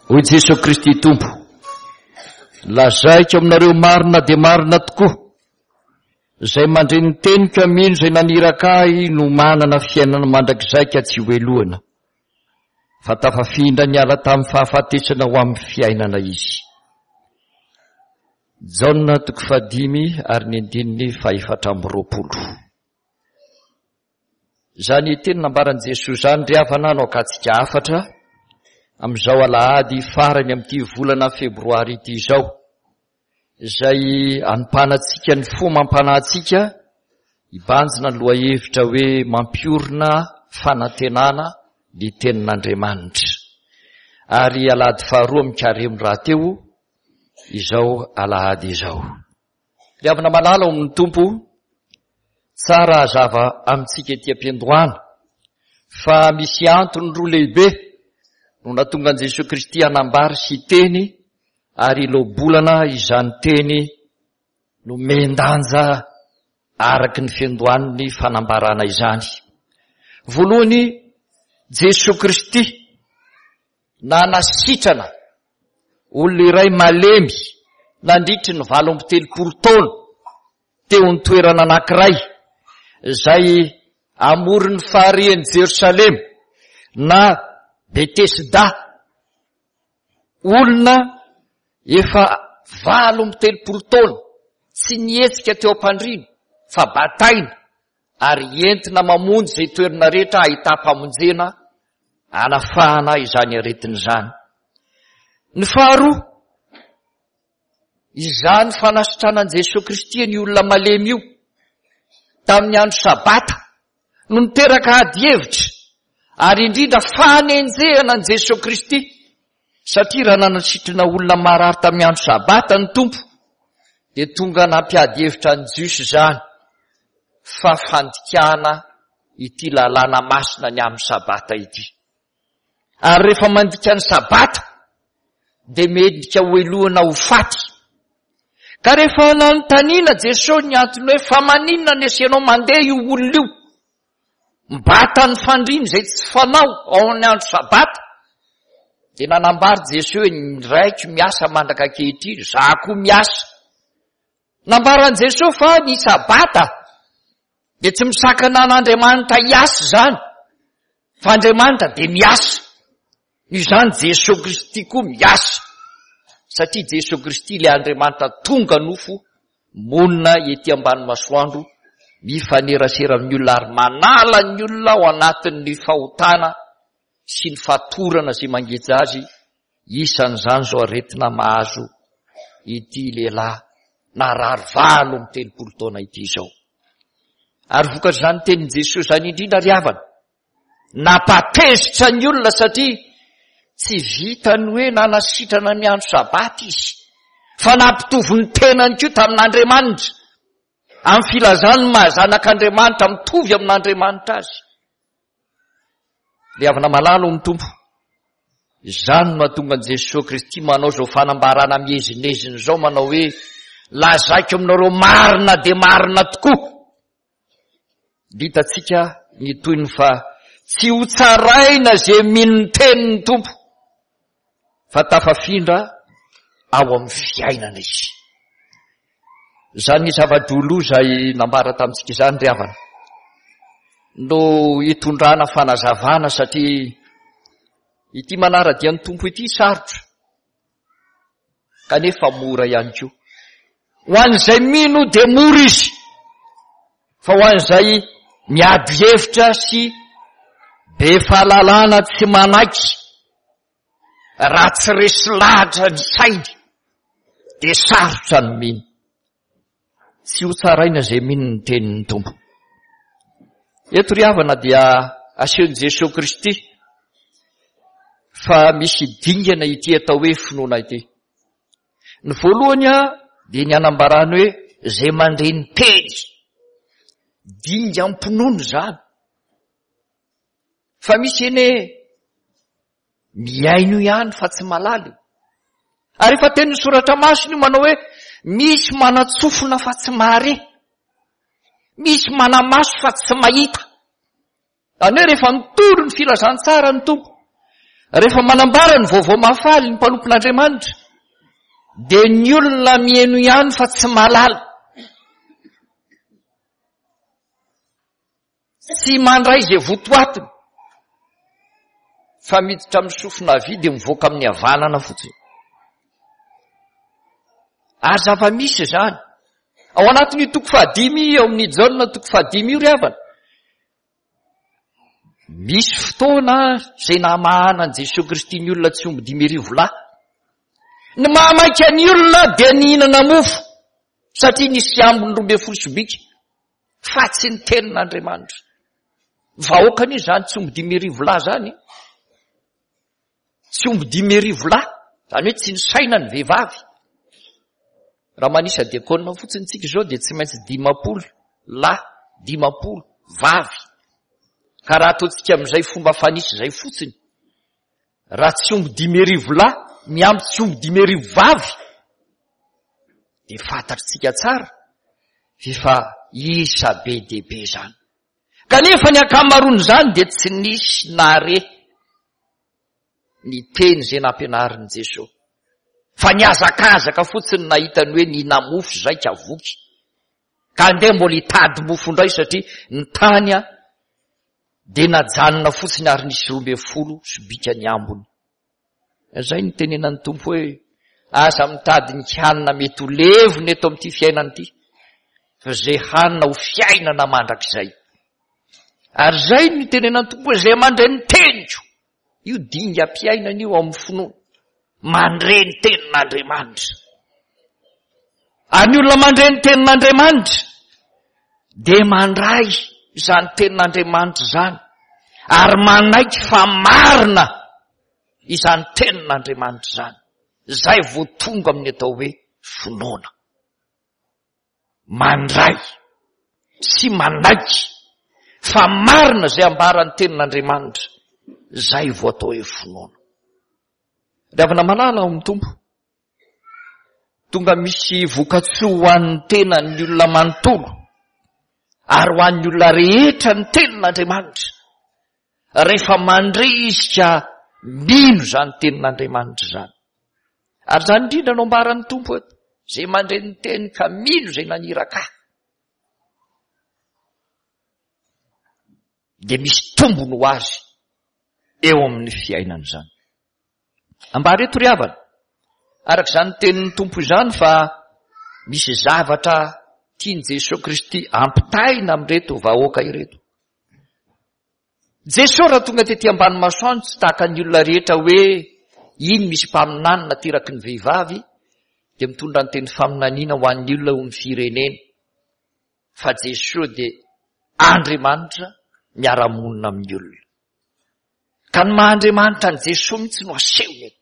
Hoy Jesoa Kristy Tompo, Lazaiko aminareo marina dia marina tokoa, izay mandre ny teniko mino izay naniraka ahy no manana fiainana mandrakizay ka tsy hohelohana, fa tafafindra niala tamin'ny fahafatesana ho amin'ny fiainana izy. Jaona toko fahadimy ary ny andininy fahefatra amby roapolo. Izany teny nambaran'i Jesoa izany ry havana no akatsika hafatra amin'izao alahady farany amin'ity volana febroary ity izao, izay anompanantsika ny fo amam-panahintsika hibanjina ny lohahevitra hoe mampiorina fanantenana ny tenin'Andriamanitra. Ary alahady faharoa amin'ny karemy rahateo izao alahady izao. Ry havana malala ao amin'ny Tompo, tsara hazava amintsika ety am-piandohana fa misy antony roa lehibe no nahatonga an'i Jesoa Kristy hanambara sy hiteny ary hiloa-bolana izany teny nomen-danja araka ny fiandohan'ny fanambarana izany. Voalohany, Jesoa Kristy nanasitrana olona iray malemy nandritry ny 38 taona teo ny toerana anankiray izay amoron'ny farihin'i Jerosalema na Betesda. Olona efa 38 taona tsy nihetsika teo am-pandriana fa bataina ary entina mamonjy izay toerana rehetra ahitam-pamonjena hanafahana izany aretina izany. Ny faharoa, izany fanasitranan'i Jesoa Kristy ny olona malemy io tamin'ny andro Sabata no niteraka ady hevitra ary indrindra fanenjehana an'i Jesoa Kristy satria raha nanasitrana olona marary tamin'ny andro Sabata ny Tompo dia tonga nampiady hevitra ny Jiosy izany fa fandikana ity lalàna masina ny amin'ny Sabata ity. Ary rehefa mandika ny Sabata dia mendrika ho helohina ho faty. Ka rehefa nanontaniana Jesosy ny antony hoe fa maninona ny asianao mandeha io olona io? Mibata ny fandriana izay tsy fanao ao amin'ny andro Sabata. Dia nanambara Jesosy hoe ny raiko miasa mandraka ankehitriny, izaho koa miasa. Nambaran'i Jesosy fa ny Sabata dia tsy misakana an'Andriamanitra hiasa izany, fa Andriamanitra dia miasa. Noho izany Jesoa Kristy koa miasa, satria Jesoa Kristy ilay Andriamanitra tonga nofo, monina ety ambany masoandro, mifanerasera amin'ny olona ary manala ny olona ao anatin'ny fahotana sy ny fatorana izay mangeja azy, isan'izany izao aretina mahazo ity lehilahy narary 38 taona ity izao. Ary vokatr'izany tenin'i Jesoa izany indrindra ry havana, Nampatezitra ny olona satria tsy vitany hoe nanasitrana ny andro sabata izy, fa nampitovy ny tenany koa tamin'Andriamanitra, amin'ny filazany ny maha zanak'Andriamanitra mitovy amin'Andriamanitra azy. Ry havana malala ao amin'ny Tompo, izany no mahatonga an'i Jesoa Kristy manao izao fanambarana miezinezina izao, manao hoe, lazaiko aminareo marina dia marina tokoa, Hitantsika ny tohiny fa tsy ho tsaraina izay mino ny tenin'ny Tompo fa tafafindra ao amin'ny fiainana izy. Izany zava-droa izay nambara tamintsika izany ry havana no hitondrana fanazavana satria ity manara-dia ny Tompo ity sarotra. kanefa mora ihany koa. Ho an'izay mino dia mora izy, fa ho an'izay miady hevitra sy be fahalalana tsy manaiky, raha tsy resy lahatra ny sainy, dia sarotra ny mino. Tsy ho tsaraina izay mino ny tenin'ny Tompo. Eto ry havana dia asehon'i Jesoa Kristy fa misy dingana ity atao hoe finoana ity. Ny voalohany dia ny hanambarany hoe izay mandre ny teny. Dingam-pinoana izany. Fa misy anie Mihaino ihany fa tsy malala io. Ary efa tenin'ny soratra masina io manao hoe misy manan-tsofina fa tsy mahare. Misy mana-maso fa tsy mahita. Izany hoe rehefa mitory ny filazantsara ny Tompo. Rehefa manambara ny vaovao mahafaly ny mpanompon'Andriamanitra, dia ny olona mihaino ihany fa tsy mahalala. Tsy mandray izay votoatiny fa miditra amin'ny sofina havia dia mivoaka amin'ny havanana fotsiny. Ary zava-misy izany. Ao anatin'io toko fahadimy io, ao amin'ny Jaona toko fahadimy io ry havana, misy fotoana izay namahana an'i Jesoa Kristy ny olona tsy omby 5000 lahy. Ny mahamaika ny olona dia nihinana mofo satria nisy ambiny 12 sobika. fa tsy ny tenin'Andriamanitra. Vahoaka anie izany tsy omby 5000 lahy izany. Tsy omby 5000 lahy, izany hoe tsy nisaina ny vehivavy. Raha manisa diakona fotsiny tsika izao dia tsy maintsy 50 lahy, 50 vavy. Ka raha ataontsika amin'izay fomba fanisy izay fotsiny, raha tsy omby 5000 lahy miampy tsy omby 5000 vavy, dia fantatritsika tsara f'efa isa be dia be izany. Kanefa ny ankamaroan'izany dia tsy nisy nare ny teny izay nampianarin'i Jesoa. Fa nihazakazaka fotsiny nahita ny hoe nihina-mofo izay ka voky. Ka andeha mbola hitady mofo indray satria ny tany dia najanona fotsiny ary nisy 12 sobika ny ambiny. Izay no tenenan'ny Tompo hoe, aza mitady ny hanina mety ho levona eto amin'ity fiainana ity, fa izay hanina ho fiainana mandrakizay. Ary izay no tenenan'ny Tompo hoe, izay mandre ny teniko, io dingam-piainana io ao amin'ny finoana, mandre ny tenin'Andriamanitra. Ary ny olona mandre ny tenin'Andriamanitra dia mandray izany tenin'Andriamanitra izany ary manaiky fa marina izany tenin'Andriamanitra izany. Izay vao tonga amin'ny atao hoe finoana. Mandray sy manaiky fa marina izay ambaran'ny tenin'Andriamanitra, izay vao atao hoe finoana. Ry havana malala ao amin'ny Tompo, Tonga misy vokatsoa ho an'ny tenan'ny olona manontolo ary ho an'ny olona rehetra ny tenin'Andriamanitra. Rehefa mandre izy ka mino izany tenin'Andriamanitra izany. Ary izany indrindra no ambaran'ny Tompo eto. Izay mandre ny teny ka mino izay naniraka ahy. Dia misy tombony ho azy eo amin'ny fiainana izany. Ambara eto ry havana, araka izany tenin'ny Tompo izany fa misy zavatra tian'i Jesoa Kristy ampitaina amin'ireto vahoaka ireto. Jesoa raha tonga tety ambany masoandro tsy tahaka ny olona rehetra hoe iny misy mpaminany nateraky ny vehivavy dia mitondra ny teny faminaniana ho an'ny olona eo amin'ny firenena. Fa Jesoa dia Andriamanitra miara-monina amin'ny olona. Ka ny maha Andriamanitra an'i Jesoa mihitsy no asehony eto.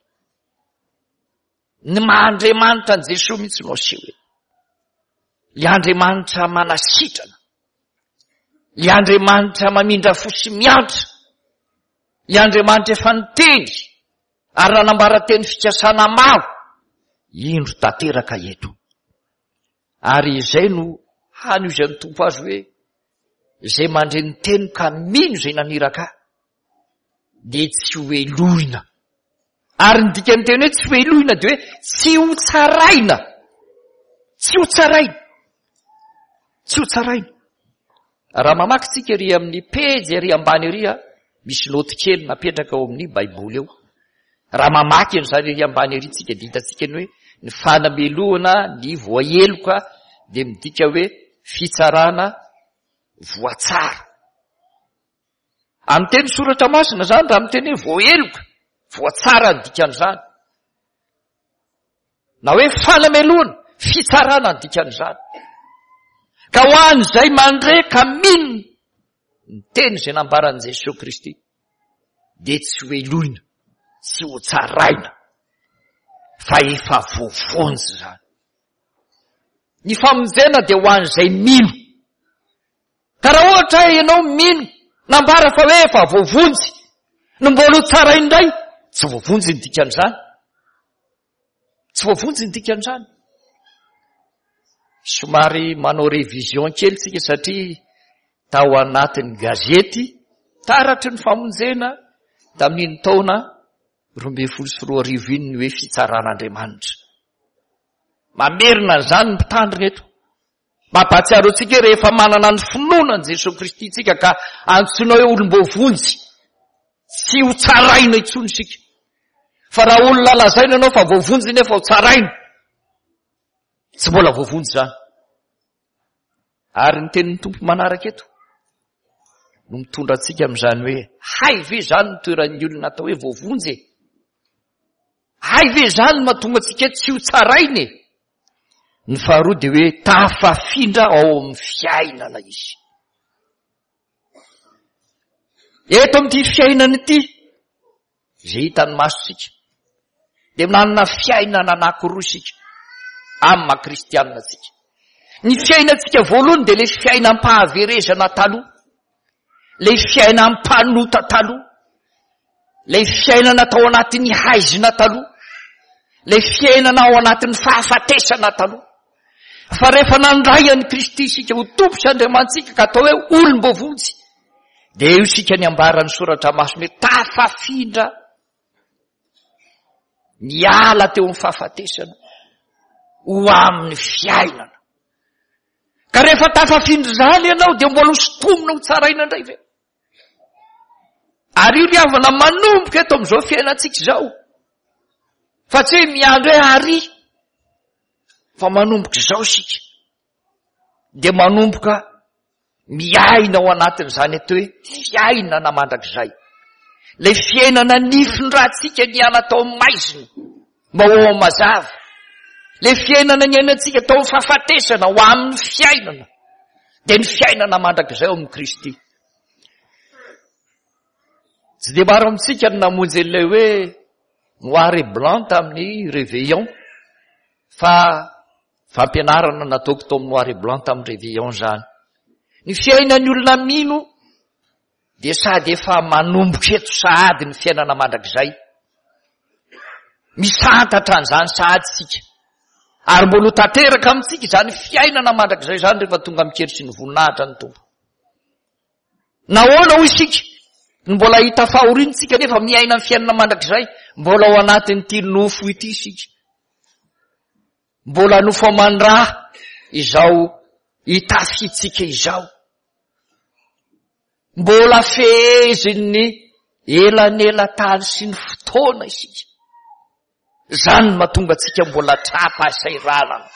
Ny maha Andriamanitra an'i Jesoa mihitsy no aseho eto. Ilay Andriamanitra manasitrana. Ilay Andriamanitra mamindra fo sy miantra. Ilay Andriamanitra efa niteny ary nanambara teny fikasana maro. Indro tanteraka eto. Ary izay no hany ozan'ny Tompo azy hoe izay mandre ny teny ka mino izay naniraka ahy dia tsy ho helohina. Ary ny dikan'ny teny hoe tsy ho helohina dia hoe tsy ho tsaraina. Tsy ho tsaraina. Tsy ho tsaraina. Raha mamaky tsika ery amin'ny pejy ery ambany ery a, misy noty kely napetraka ao amin'ny Baiboly eo. Raha mamaky an'izany ery ambany ery tsika dia hitantsika ny hoe ny fanamelohana ny voaheloka dia midika hoe fitsarana voatsara. Amin'ny teny soratra masina izany raha miteny hoe voaheloka, voatsara ny dikan'izany. Na hoe fanamelohana, fitsarana ny dikan'izany. Ka ho an'izay mandre ka mino ny teny izay nambaran'i Jesoa Kristy dia tsy ho helohina, tsy ho tsaraina fa efa voavonjy izany. Ny famonjena dia ho an'izay mino. Ka raha ohatra ianao mino, nambara fa hoe efa voavonjy, no mbola ho tsara indray, tsy voavonjy ny dikan'izany. Tsy voavonjy ny dikan'izany. Somary manao révision kely tsika satria tao anatin'ny gazety taratry ny famonjena tamin'iny taona. 2012 iny ny hoe fitsaran'Andriamanitra. Mamerina an'izany ny mpitandrina eto. Mampahatsiaro antsika hoe rehefa manana ny finoana an'i Jesoa Kristy isika ka antsoina hoe olom-boavonjy, tsy ho tsaraina intsony isika. Fa raha olona lazaina ianao fa voavonjy nefa ho tsaraina, tsy mbola voavonjy izany. Ary ny tenin'ny Tompo manaraka eto no mitondra antsika amin'izany hoe hay ve izany ny toeran'ny olona atao hoe voavonjy e? Hay ve izany no mahatonga antsika tsy ho tsaraina e? Ny faharoa dia hoe tafafindra ao amin'ny fiainana izy. Eto amin'ity fiainana ity, izay hitan'ny masontsika, dia manana fiainana anankiroa isika, amin'ny maha kristianina antsika. Ny fiainantsika voalohany dia ilay fiainam-pahaverezana taloha. Ilay fiainam-panota taloha, ilay fiainana tao anatin'ny haizina taloha, ilay fiainana ao anatin'ny fahafatesana taloha. Fa rehefa nandray an'i Kristy isika ho Tompo sy Andriamanitsika ka atao hoe olom-boavonjy, dia eo isika ny ambaran'ny soratra masina hoe tafafindra niala teo amin'ny fahafatesana ho amin'ny fiainana. Ka rehefa tafafindra izany ianao dia mbola ho sintomina ho tsaraina indray ve? Ary io ry havana manomboka eto amin'izao fiainantsika izao. Fa tsy hoe miandry hoe ary fa manomboka izao isika. Dia manomboka miaina ao anatin'izany atao hoe fiainana mandrakizay. Ilay fiainana nifindrantsika niala tao amin'ny maizina mba ho ao mazava. Ilay fiainana niainantsika tao amin'ny fahafatesana ho amin'ny fiainana. Dia ny fiainana mandrakizay ao amin'i Kristy. Tsy dia maro amintsika ny namonjy an'ilay hoe noir et blanc tamin'ny réveillon fa Fampianarana nataoko tao amin'ny noir et blanc tamin'ny réveillon izany. Ny fiainan'ny olona mino dia sady efa manomboka eto sahady ny fiainana mandrakizay. Misantatra an'izany sahady isika. Ary mbola ho tanteraka amintsika izany fiainana mandrakizay izany rehefa tonga mikery sy ny voninahitra ny Tompo. Nahoana hoy isika no mbola hita fahoriana isika nefa miaina ny fiainana mandrakizay? Mbola ao anatin'ity nofo ity isika. Mbola nofo aman-dra izao itafiantsika izao. Mbola fehezin'ny elanelan-tany sy ny fotoana isika. Izany no mahatonga antsika mbola tra-pahasahiranana.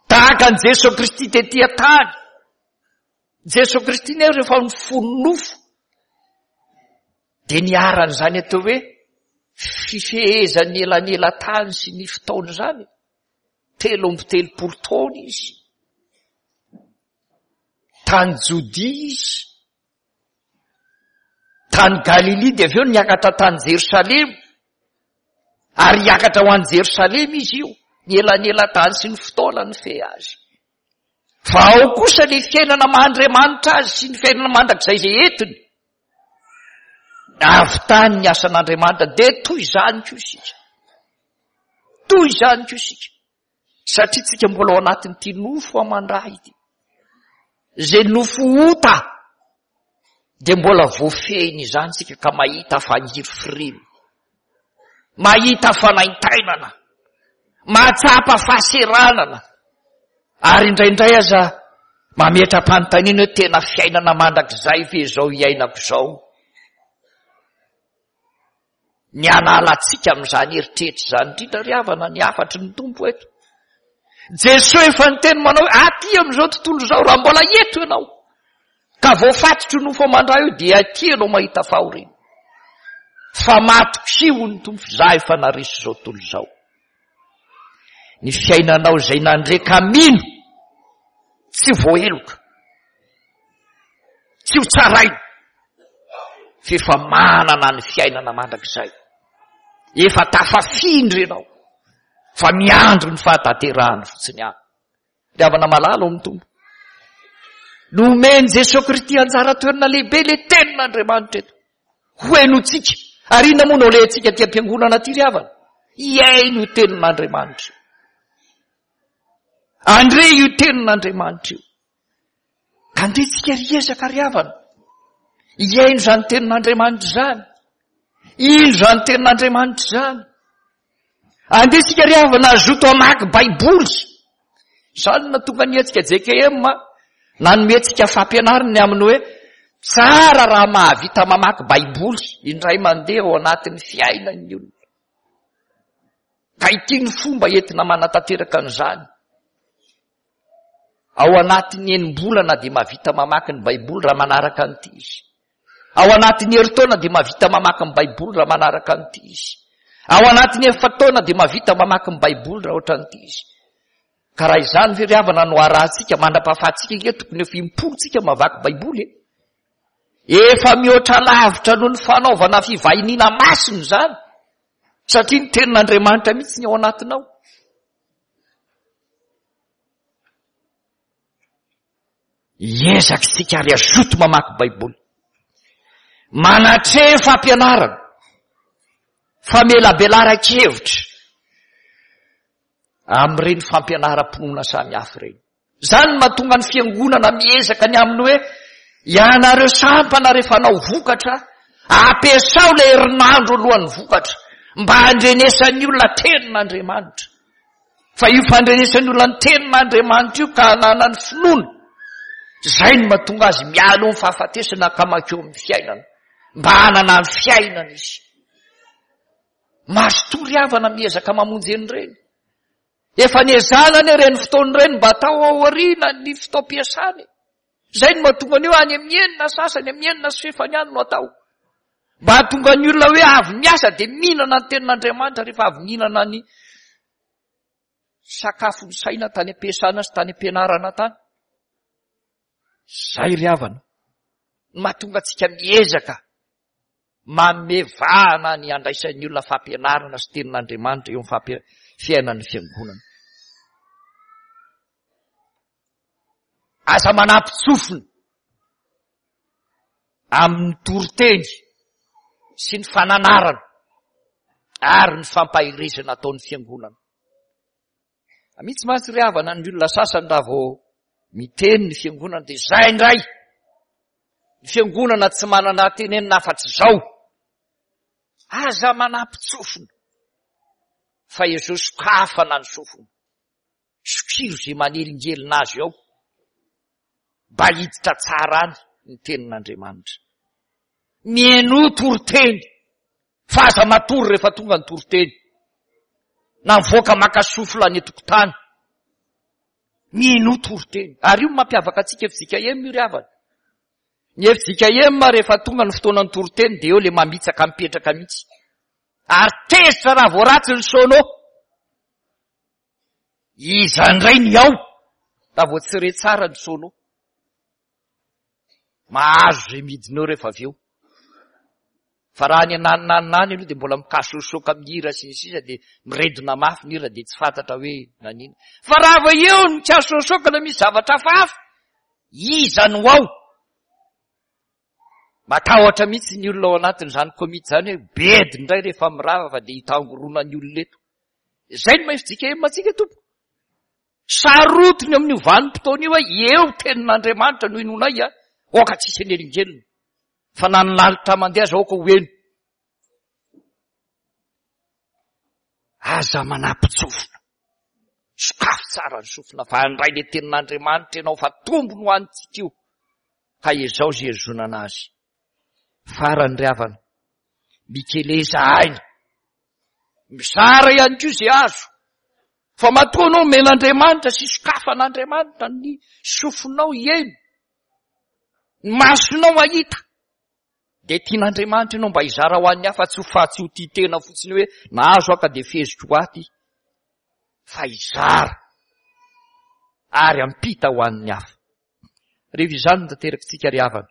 Tahaka an'i Jesoa Kristy tety an-tany. Jesoa Kristy nefa rehefa nifono nofo dia niharan'izany atao hoe fifehezan'ny elanelan-tany sy ny fotoana izany. 33 taona izy. Tany Jodia izy. Tany Galilia dia avy eo niakatra tany Jerosalema. Ary hiakatra ho any Jerosalema izy io. Ny elanelan-tany sy ny fotoana nifehy azy. Fa ao kosa ny fiainana maha Andriamanitra azy sy ny fiainana mandrakizay izay entiny. Avy tany ny asan'Andriamanitra dia toy izany koa isika. Toy izany koa isika. Satria tsika mbola ao anatin'ity nofo aman-dra ity. Izay nofo ota dia mbola voafehiny izany isika ka mahita fangirifiriana. Mahita fanaintainana. Mahatsapa fahaseranana. Ary indraindray aza mametra-panontaniana hoe tena fiainana mandrakizay ve izao iainako izao? Ny hanala antsika amin'izany eritreritra izany indrindra ry havana ny hafatry ny Tompo eto. Jesoa efa niteny manao hoe aty amin'izao tontolo izao raha mbola eto ianao ka voafatotry ny nofo aman-dra io dia aty ianao mahita fahoriana. Fa matokia hoy ny Tompo za efa naresy izao tontolo izao. Ny fiainanao izay nandre ka mino tsy voaheloka. Tsy ho tsaraina fa efa manana ny fiainana mandrakizay. Efa tafafindra ianao fa miandry ny fahatanterahany fotsiny ihany. Ry havana malala ao amin'ny Tompo. Nomen'i Jesoa Kristy anjara toerana lehibe ilay tenin'Andriamanitra eto. Ho henotsika. Ary inona moa no alehantsika aty am-piangonana aty ry havana? Hihaino io tenin'Andriamanitra io. Andre io tenin'Andriamanitra io. Ka andeha tsika ry ezaka ry havana. Hihaino izany tenin'Andriamanitra izany. Ino izany tenin'Andriamanitra izany? Andeha isika ry havana hazoto hamaky Baiboly. Izany no nahatonga ny hetsika JKM nanome antsika fampianarana ny amin'ny hoe tsara raha mahavita mamaky Baiboly indray mandeha ao anatin'ny fiainan'ny olona. Ka ity ny fomba entina manatanteraka an'izany. Ao anatin'ny enim-bolana dia mahavita mamaky ny Baiboly raha manaraka an'ity izy. Ao anatin'ny herintaona dia mahavita mamaky ny Baiboly raha manaraka an'ity izy. Ao anatin'ny efa-taona dia mahavita mamaky ny Baiboly raha ohatran'ity izy. Ka raha izany ve ry havana no arahantsika mandra-pahafahantsika ange tokony efa impolo tsika mamaky Baiboly e. Efa mihoatra lavitra noho ny fanaovana fivahiniana masina izany. Satria ny tenin'Andriamanitra mihitsy ny ao anatinao. Hiezaka isika ary hazoto mamaky Baiboly. Manatreha fampianarana, famelabelaran-kevitra amin'ireny fampianaram-pinoana samihafa ireny. Izany no mahatonga ny fiangonana miezaka ny amin'ny hoe ianareo sampana rehefa hanao vokatra, ampiasao ilay herinandro alohan'ny vokatra mba handrenesan'ny olona tenin'Andriamanitra. Fa io fandrenesan'ny olona ny tenin'Andriamanitra io ka hananany finoana, izay no mahatonga azy miala eo amin'ny fahafatesana ka mankeo amin'ny fiainana, mba hanana ny fiainana izy. Mazotoa ry havana miezaka mamonjy an'ireny. Efa niezahana anie ireny fotoana ireny mba atao aoriana ny fotoam-piasana e. Izay no mahatonga an'io any amin'ny enina sasany, amin'ny enina sy fefany any no atao. Mba hahatonga ny olona hoe avy miasa dia mihinana ny tenin'Andriamanitra rehefa avy mihinana ny sakafon'ny saina tany am-piasana sy tany am-pianarana tany. Izay ry havana no mahatonga antsika miezaka manome vahana ny handraisan'ny olona fampianarana sy tenin'Andriamanitra eo amin'ny fiainan'ny fiangonana. Aza manampy-tsofina amin'ny toriteny sy ny fananarana ary ny fampaherezana ataon'ny fiangonana. Mitsy mantsy ry havana ny olona sasany raha vao miteny ny fiangonana dia izay indray. Ny fiangonana tsy manana tenenina afa-tsy izao. Aza manampy-tsofina fa ezao sokafana ny sofina. Sokiro izay manelingelina azy ao mba hiditra tsara any ny tenin'Andriamanitra. Mihainoa toriteny fa aza matory rehefa tonga ny toriteny. Na mivoaka maka souffle any an-tokotany. Mihainoa toriteny. Ary io no mampiavaka antsika FJKM io ry havana. Ny FJKM rehefa tonga ny fotoanan'ny toriteny dia eo le mamitsaka mipetraka mihitsy. Ary tezitra raha vao ratsy ny sono. Iza indray ny ao raha vao tsy re tsara ny sono. Mahazo izay midina eo rehefa avy eo. Fa raha any ananonanona any aloha dia mbola mikasosoka amin'ny hira sy ny sisa dia miredona mafy ny hira dia tsy fantatra hoe nanina. Fa raha vao eo ny mikasosoka na misy zavatra hafahafa, iza no ao? Matahotra mihitsy ny olona ao anatin'izany komity izany hoe bedy indray rehefa mirava fa dia hitangorona ny olona eto. Izay no maha FJKM antsika tompoko. Sarotiny amin'io vanim-potoana io hoe eo tenin'Andriamanitra no inoanay a, aoka tsy hisy hanelingelina. Fa na ny lalitra mandeha aza aoka ho heno. Aza manampin-tsofina. Sokafy tsara ny sofina fa handray ilay tenin'Andriamanitra ianao fa tombony ho antsika io. Ka ezao izay hihazonana azy. Farany ry havana, mikeleza aina. Mizara ihany koa izay azo. Fa matoa anao omen'Andriamanitra sy sokafan'Andriamanitra ny sofinao hihaino, ny masonao hahita, dia tian'Andriamanitra ianao mba hizara ho an'ny hafa tsy ho fa tsy ho tia tena fotsiny hoe nahazo aho ka dia feheziko aty fa hizara ary hampita ho an'ny hafa. Rehefa izany no tanterakitsika ry havana,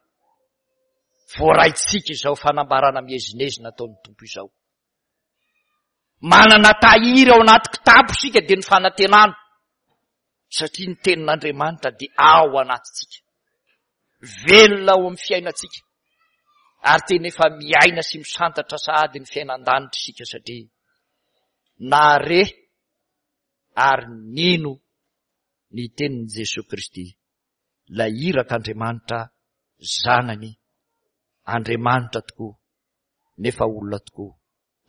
voaraintsika izao fanambarana miezinezina ataon'ny Tompo izao. Manana tahiry ao anaty kitapo isika dia ny fanantenana. Satria ny tenin'Andriamanitra dia ao anatintsika. Velona ao amin'ny fiainantsika. Ary tena efa miaina sy misantatra sahady ny fiainan-danitra isika satria nahare ary nino ny tenin'i Jesoa Kristy, ilay irak'Andriamanitra Zanany, Andriamanitra tokoa. nefa olona tokoa.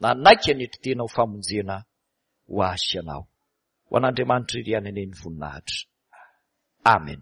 Nanaiky hanetry tena ho famonjena ho ahy sy ianao. Ho an'Andriamanitra irery ihany anie ny voninahitra. Amen.